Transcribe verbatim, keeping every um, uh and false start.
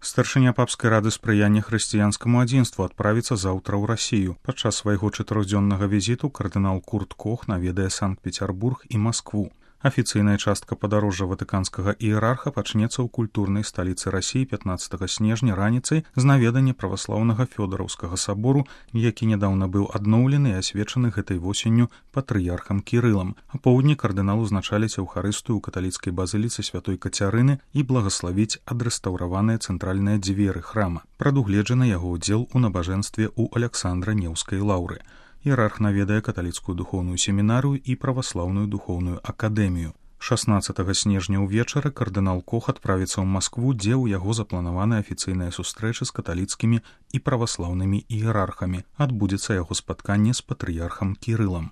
Старшыня папскай рады спрыяння хрысціянскаму адзінству адправіцца заўтра ў Расію. Падчас свайго чатырохдзённага візіту кардынал Курт Кох наведае Санкт-Пецярбург і Маскву. Афіцыйная частка падарожжа ватыканскага іерарха пачнецца ў культурнай сталіцы Расіі пятнаццатага снежня раніцай з наведання праваслаўнага Фёдараўскага сабору, які нядаўна быў адноўлены і асвечаны гэтай восенню патрыярхам Кірылам. А поўдні кардынал узначаліць эўхарыстыю ў каталіцкай базыліцы святой Кацярыны і благаславіць адрэстаўраваныя цэнтральныя дзверы храма. Прадугледжаны яго ўдзел у набажэнстве ў Аляксандра-Неўскай лаўры. Іерарх наведае каталіцкую духоўную семінарыю і праваслаўную духоўную акадэмію. шаснаццатага снежня ўвечары кардынал Кох адправіцца ў Маскву, дзе ў яго запланаваны афіцыйныя сустрэчы з каталіцкімі і праваслаўнымі іерархамі. Адбудзецца яго спатканне з патрыярхам Кірылам.